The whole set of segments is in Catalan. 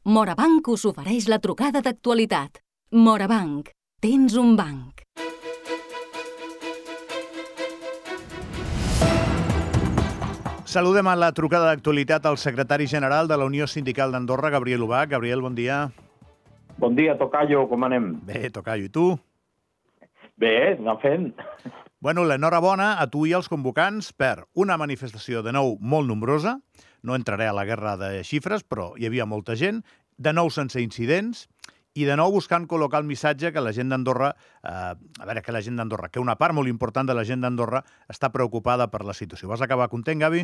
Morabanc us ofereix la trucada d'actualitat. Morabanc, tens un banc. Saludem a la trucada d'actualitat al secretari general de la Unió Sindical d'Andorra, Gabriel Ubach. Gabriel, bon dia. Bon dia, Tocayo, com anem? Bé, Tocayo, i tu? Bé, anem fent. Bueno, l'enhorabona a tu i als convocants per una manifestació de nou molt nombrosa. No entraré a la guerra de xifres, però hi havia molta gent. De nou sense incidents i de nou buscant col·locar el missatge que la gent d'Andorra, que una part molt important de la gent d'Andorra està preocupada per la situació. Vas acabar content, Gavi?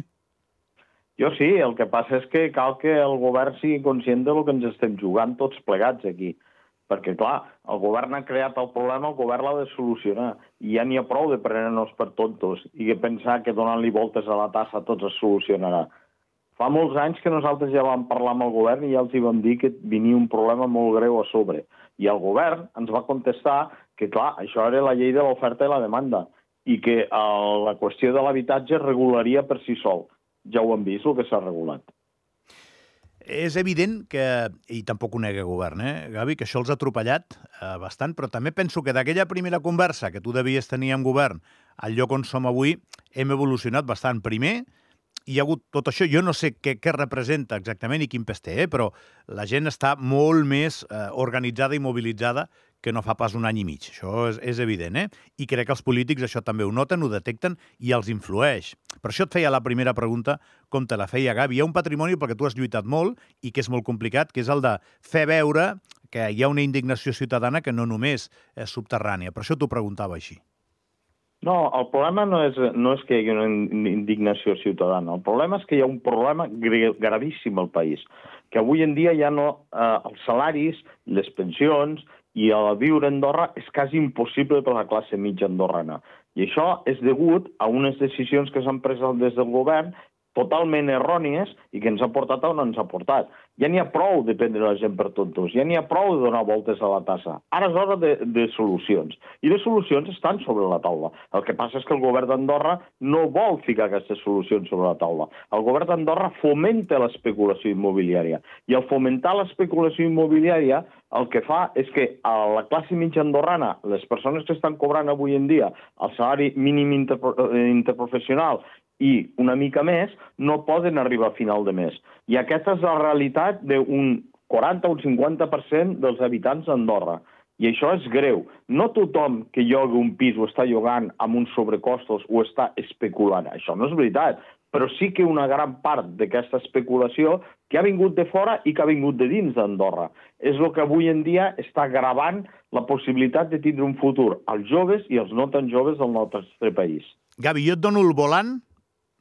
Jo sí, el que passa és que cal que el govern sigui conscient del que ens estem jugant tots plegats aquí. Perquè, clar, el govern ha creat el problema, el govern l'ha de solucionar. I ja n'hi ha prou de prendre-nos per tontos i de pensar que donant-li voltes a la tassa tot es solucionarà. Fa molts anys que nosaltres ja vam parlar amb el govern i ja els hi vam dir que venia un problema molt greu a sobre. I el govern ens va contestar que, clar, això era la llei de l'oferta i la demanda i que la qüestió de l'habitatge es regularia per si sol. Ja ho hem vist, el que s'ha regulat. És evident que, i tampoc ho nega el govern, Gavi, que això els ha atropellat bastant, però també penso que d'aquella primera conversa que tu devies tenir amb govern al lloc on som avui, hem evolucionat bastant. Primer, hi ha hagut tot això, jo no sé què representa exactament i quin pes té, però la gent està molt més organitzada i mobilitzada que no fa pas un any i mig. Això és evident, I crec que els polítics això també ho noten, ho detecten i els influeix. Per això et feia la primera pregunta, com te la feia Gavi. Hi ha un patrimoni perquè tu has lluitat molt i que és molt complicat, que és el de fer veure que hi ha una indignació ciutadana que no només és subterrània. Per això t'ho preguntava així. No, el problema no és que hi hagi una indignació ciutadana. El problema és que hi ha un problema gravíssim al país, que avui en dia ja no... els salaris, les pensions i el viure a Andorra és quasi impossible per a la classe mitja andorrana. I això és degut a unes decisions que s'han pres des del govern totalment errònies i que ens ha portat on ens ha portat. Ja n'hi ha prou de prendre la gent per tontos, ja n'hi ha prou de donar voltes a la tassa. Ara és hora de solucions. I les solucions estan sobre la taula. El que passa és que el govern d'Andorra no vol ficar aquestes solucions sobre la taula. El govern d'Andorra fomenta l'especulació immobiliària. I al fomentar l'especulació immobiliària el que fa és que a la classe mitja andorrana, les persones que estan cobrant avui en dia el salari mínim interprofessional i una mica més, no poden arribar a final de mes. I aquesta és la realitat d'un 40 o un 50% dels habitants d'Andorra. I això és greu. No tothom que lloga un pis o està llogant amb uns sobrecostos o està especulant. Això no és veritat. Però sí que una gran part d'aquesta especulació que ha vingut de fora i que ha vingut de dins d'Andorra. És el que avui en dia està gravant la possibilitat de tindre un futur als joves i als no tan joves del nostre país. Gavi, jo et dono el volant,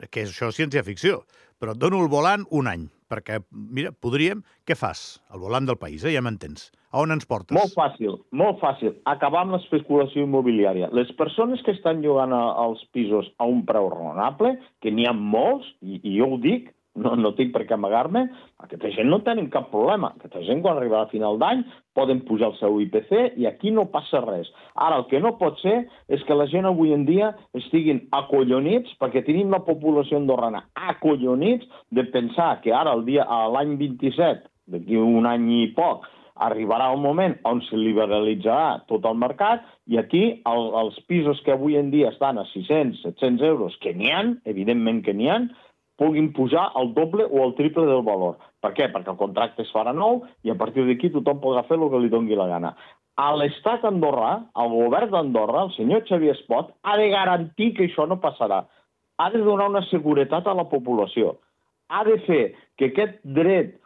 que això és ciència-ficció, però et dono el volant un any, perquè, mira, podríem... Què fas? El volant del país, ja m'entens. A on ens portes? Molt fàcil. Acabar amb l'especulació immobiliària. Les persones que estan llogant els pisos a un preu raonable, que n'hi ha molts, i jo ho dic, no tinc per què amagar-me, aquesta gent no tenen cap problema. Aquesta gent, quan arriba a final d'any, poden pujar el seu IPC i aquí no passa res. Ara, el que no pot ser és que la gent avui en dia estiguin acollonits, perquè tenim la població andorrana acollonits de pensar que ara, l'any 27, d'aquí un any i poc, arribarà un moment on se liberalitzarà tot el mercat i aquí els pisos que avui en dia estan a 600, 700 euros, que n'hi ha, evidentment que n'hi ha, puguin pujar al doble o al triple del valor. Per què? Perquè el contracte es farà nou i a partir d'aquí tothom podrà fer el que li doni la gana. A l'estat andorrà, al govern d'Andorra, el senyor Xavier Espot, ha de garantir que això no passarà. Ha de donar una seguretat a la població. Ha de fer que aquest dret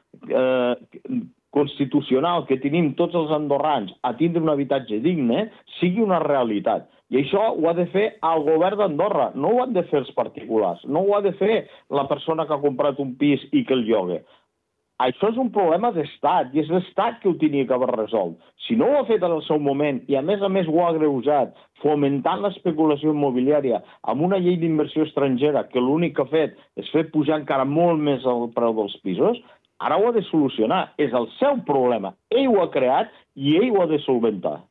constitucional que tenim tots els andorrans a tindre un habitatge digne sigui una realitat. I això ho ha de fer el govern d'Andorra, no ho han de fer els particulars, no ho ha de fer la persona que ha comprat un pis i que el lloga. Això és un problema d'estat i és l'Estat que ho tenia que haver resolt. Si no ho ha fet en el seu moment i a més ho ha agreujat fomentant l'especulació immobiliària amb una llei d'inversió estrangera que l'únic que ha fet és fer pujar encara molt més el preu dels pisos, ara ho ha de solucionar. És el seu problema. Ell ho ha creat i ell ho ha de solventar.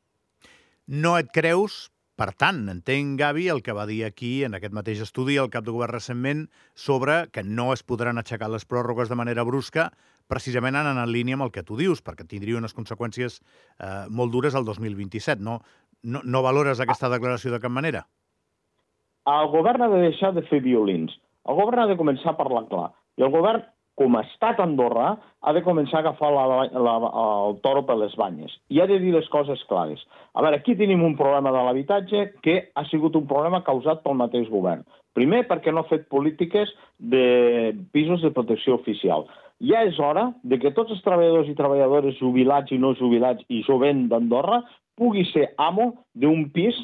No et creus, per tant, entenc, Gavi, el que va dir aquí, en aquest mateix estudi, el cap de govern recentment, sobre que no es podran aixecar les pròrrogues de manera brusca precisament anant en línia amb el que tu dius, perquè tindria unes conseqüències molt dures al 2027. No valores aquesta declaració de cap manera? El govern ha de deixar de fer violins. El govern ha de començar a parlar clar. I el govern, com a estat andorrà, ha de començar a agafar el toro per les banyes. I ha de dir les coses clares. A veure, aquí tenim un problema de l'habitatge que ha sigut un problema causat pel mateix govern. Primer, perquè no ha fet polítiques de pisos de protecció oficial. Ja és hora de que tots els treballadors i treballadores jubilats i no jubilats i jovent d'Andorra pugui ser amo d'un pis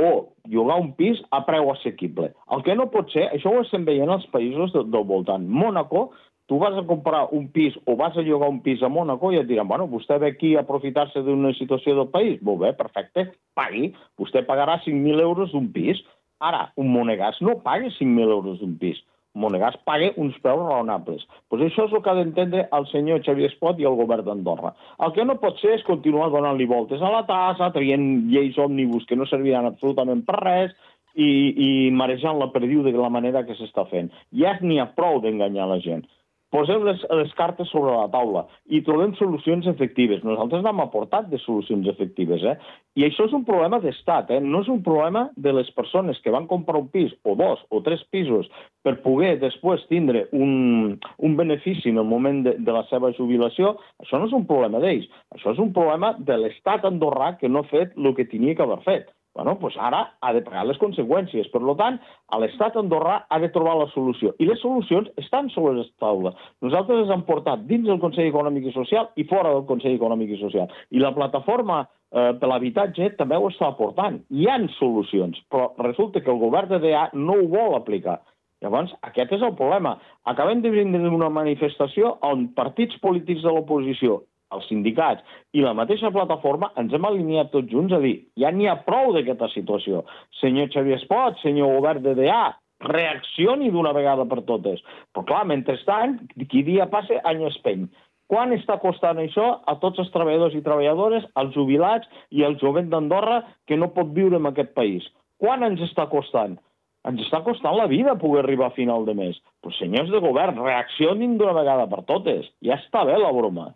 o llogar un pis a preu assequible. El que no pot ser, això ho estem veient als països del voltant. Mònaco, tu vas a comprar un pis o vas a llogar un pis a Mònaco i et diran, bueno, vostè ve aquí a aprofitar-se d'una situació del país. Molt bé, perfecte, pagui. Vostè pagarà 5.000 euros d'un pis. Ara, un monegasc no paga 5.000 euros d'un pis. Un monegasc paga uns preus raonables. Doncs això és el que ha d'entendre el senyor Xavier Espot i el govern d'Andorra. El que no pot ser és continuar donant-li voltes a la tassa, traient lleis òmnibus que no serviran absolutament per res i marejant la perdiu de la manera que s'està fent. Ja n'hi ha prou d'enganyar la gent. Posem les cartes sobre la taula i trobem solucions efectives. Nosaltres n'hem aportat de solucions efectives, I això és un problema d'estat, No és un problema de les persones que van comprar un pis, o 2 o 3 pisos, per poder després tindre un benefici en el moment de la seva jubilació. Això no és un problema d'ells. Això és un problema de l'estat andorrà que no ha fet el que tenia que haver fet. Bueno, doncs ara ha de pagar les conseqüències. Per tant, l'estat andorrà ha de trobar la solució. I les solucions estan sobre la taula. Nosaltres les hem portat dins del Consell Econòmic i Social i fora del Consell Econòmic i Social. I la plataforma per l'habitatge també ho està aportant. Hi ha solucions, però resulta que el govern de DA no ho vol aplicar. Llavors, aquest és el problema. Acabem de venir d'una manifestació on partits polítics de l'oposició, els sindicats i la mateixa plataforma ens hem alineat tots junts a dir ja n'hi ha prou d'aquesta situació. Senyor Xavier Espot, senyor govern de DA, reaccioni d'una vegada per totes. Però clar, mentrestant, qui dia passa, any espeny. Quant està costant això a tots els treballadors i treballadores, als jubilats i al jovent d'Andorra que no pot viure en aquest país? Quant ens està costant? Ens està costant la vida poder arribar a final de mes. Però senyors de govern, reaccionin d'una vegada per totes. Ja està bé la broma.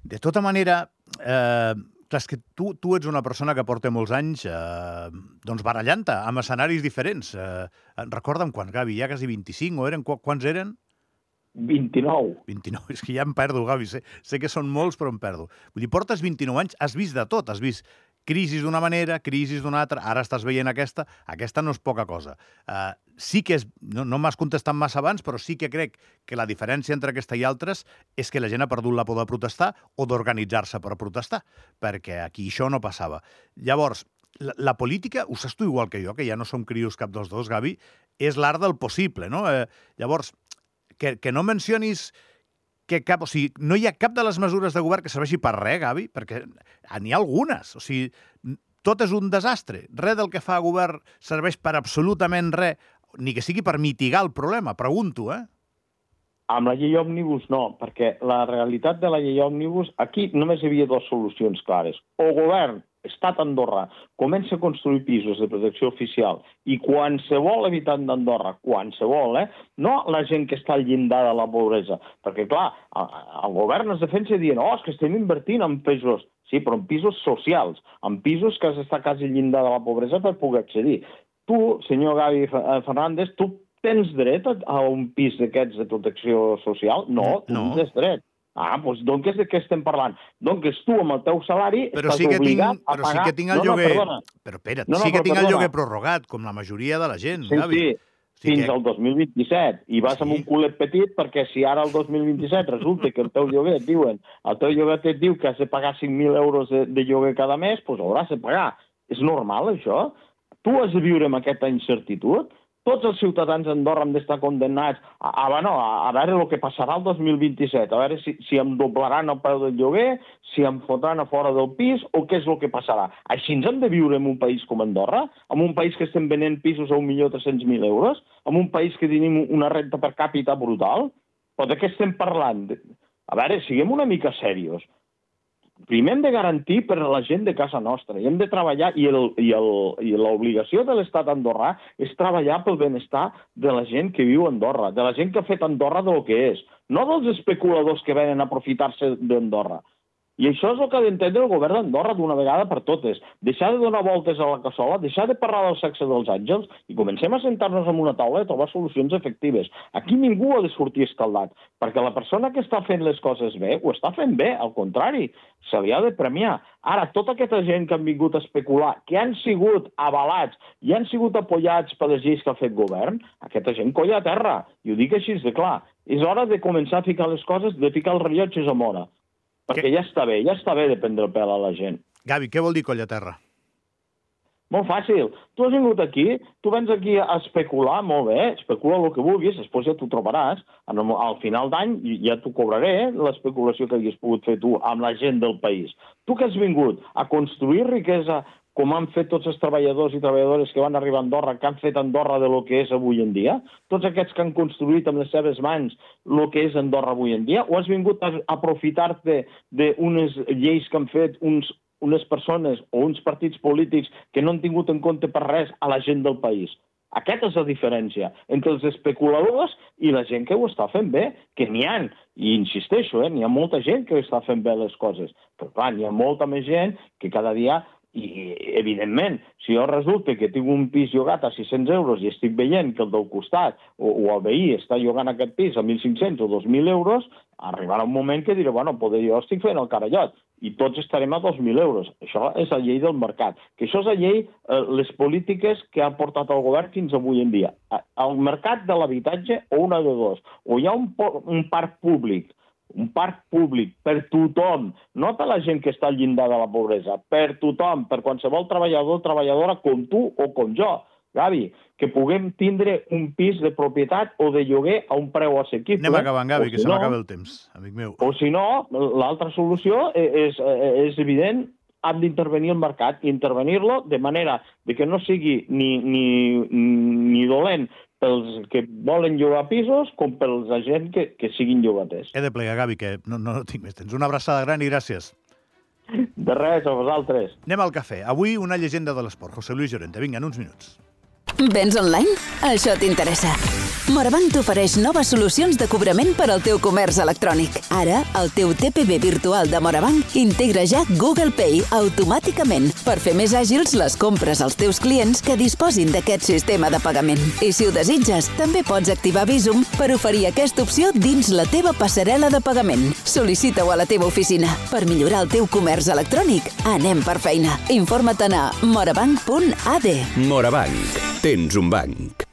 De tota manera, clar, és que tu ets una persona que porta molts anys barallant-te amb escenaris diferents. Recorda'm quan, Gavi, ja quasi 25, o eren? Quants eren? 29. 29, és que ja em perdo, Gavi. Sé que són molts, però em perdo. Vull dir, portes 29 anys, has vist de tot, has vist crisis d'una manera, crisis d'una altra, ara estàs veient aquesta no és poca cosa. Sí que és, no m'has contestat massa abans, però sí que crec que la diferència entre aquesta i altres és que la gent ha perdut la por de protestar o d'organitzar-se per protestar, perquè aquí això no passava. Llavors, la política, ho saps tu igual que jo, que ja no som crios cap dels dos, Gavi, és l'art del possible, no? Llavors, que no mencionis que o sigui, no hi ha cap de les mesures de govern que serveixi per res, Gavi, perquè n'hi ha algunes. O sigui, tot és un desastre. Res del que fa el govern serveix per absolutament res, ni que sigui per mitigar el problema. Pregunto, Amb la llei òmnibus no, perquè la realitat de la llei òmnibus, aquí només hi havia dues solucions clares. O govern, estat andorrà, comença a construir pisos de protecció oficial i qualsevol habitant d'Andorra, qualsevol, no la gent que està al llindar de la pobresa, perquè clar, el govern es defensa dient, és que estem invertint en pisos, sí, però en pisos socials, en pisos que has d'estar quasi al llindar de la pobresa per poder accedir. Tu, senyor Gavi Fernández, tu tens dret a un pis d'aquests de protecció social? No, tu no tens dret. Doncs de què estem parlant? Doncs tu, amb el teu salari, estàs obligat a pagar... Però sí que tinc el lloguer... Però espera't, sí que tinc el lloguer prorrogat, com la majoria de la gent, Gavi. Sí, fins al 2027. I vas amb un culet petit perquè si ara el 2027 resulta que el teu lloguer et diuen, el teu lloguer et diu que has de pagar 5.000 euros de lloguer cada mes, doncs hauràs de pagar. És normal, això? Tu has de viure amb aquesta incertitud? Tots els ciutadans d'Andorra han d'estar condemnats a veure el que passarà el 2027, a veure si em doblaran el preu del lloguer, si em fotran a fora del pis o què és el que passarà. Així ens hem de viure en un país com Andorra? En un país que estem venent pisos a 1.300.000 euros? En un país que tenim una renta per càpita brutal? Però de què estem parlant? A veure, siguem una mica serios. Primer hem de garantir per a la gent de casa nostra i hem de treballar, i l'obligació de l'estat andorrà és treballar pel benestar de la gent que viu a Andorra, de la gent que ha fet Andorra del que és. no dels especuladors que venen a aprofitar-se d'Andorra. I això és el que ha d'entendre el govern d'Andorra d'una vegada per totes. Deixar de donar voltes a la cassola, deixar de parlar del sexe dels àngels i comencem a sentar-nos en una taula i a trobar solucions efectives. Aquí ningú ha de sortir escaldat, perquè la persona que està fent les coses bé ho està fent bé, al contrari, se li ha de premiar. Ara, tota aquesta gent que han vingut a especular, que han sigut avalats i han sigut apoyats per les lleis que ha fet govern, aquesta gent colla a terra, i ho dic així de clar. És hora de començar a ficar les coses, de ficar els rellotges a mora. Perquè ja està bé de prendre el pèl a la gent. Gavi, què vol dir colla a terra? Molt fàcil. Tu has vingut aquí, tu vens aquí a especular, molt bé, especula el que vulguis, després ja t'ho trobaràs. Al final d'any ja t'ho cobraré, l'especulació que hagués pogut fer tu amb la gent del país. Tu que has vingut a construir riquesa, com han fet tots els treballadors i treballadores que van arribar a Andorra, que han fet Andorra de lo que és avui en dia, tots aquests que han construït amb les seves mans el que és Andorra avui en dia, o has vingut a aprofitar-te d'unes lleis que han fet unes persones o uns partits polítics que no han tingut en compte per res a la gent del país? Aquesta és la diferència entre els especuladors i la gent que ho està fent bé, que n'hi ha, i insisteixo, n'hi ha molta gent que està fent bé les coses, però clar, n'hi ha molta més gent que cada dia. I, evidentment, si jo resulta que tinc un pis llogat a 600 euros i estic veient que el del costat o el veí està llogant aquest pis a 1.500 o 2.000 euros, arribarà un moment que diré, bueno, poder jo estic fent el carallot i tots estarem a 2.000 euros. Això és la llei del mercat. Que això és la llei, les polítiques que ha portat el govern fins avui en dia. El mercat de l'habitatge, o una de dos, o hi ha un parc públic per tothom, no per la gent que està al llindar de la pobresa, per tothom, per qualsevol treballador o treballadora com tu o com jo, Gavi, que puguem tindre un pis de propietat o de lloguer a un preu assequible. Anem acabant, Gavi, que se m'acaba el temps, amic meu. O si no, l'altra solució és evident, hem d'intervenir el mercat i intervenir-lo de manera que no sigui ni dolent pels que volen llogar pisos com pels gent que siguin llogaters. He de plegar, Gavi, que no tinc més temps. Una abraçada gran i gràcies. De res, a vosaltres. Anem al cafè. Avui una llegenda de l'esport. José Luis Llorente. Vinga, en uns minuts. Vens online? Això t'interessa. Morabanc t'ofereix noves solucions de cobrament per al teu comerç electrònic. Ara, el teu TPV virtual de Morabanc integra ja Google Pay automàticament per fer més àgils les compres als teus clients que disposin d'aquest sistema de pagament. I si ho desitges, també pots activar Bizum per oferir aquesta opció dins la teva passarel·la de pagament. Sol·licita-ho a la teva oficina. Per millorar el teu comerç electrònic, anem per feina. Informa't a morabanc.ad. Morabanc. Tens un banc.